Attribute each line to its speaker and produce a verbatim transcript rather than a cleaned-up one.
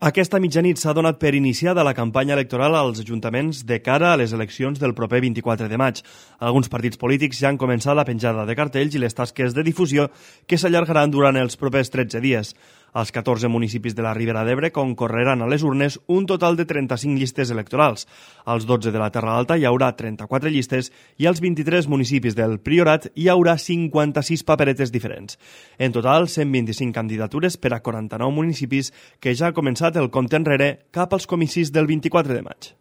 Speaker 1: Aquesta mitjanit s'ha donat per iniciada la campanya electoral als ajuntaments de cara a les eleccions del proper vint-i-quatre de maig. Alguns partits polítics ja han començat la penjada de cartells i les tasques de difusió que s'allargaran durant els propers tretze dies. Als catorze municipis de la Ribera d'Ebre concorreran a les urnes un total de trenta-cinc llistes electorals. Als dotze de la Terra Alta hi haurà trenta-quatre llistes i als vint-i-tres municipis del Priorat hi haurà cinquanta-sis paperetes diferents. En total, cent vint-i-cinc candidatures per a quaranta-nou municipis que ja ha començat el compte enrere cap als comicis del vint-i-quatre de maig.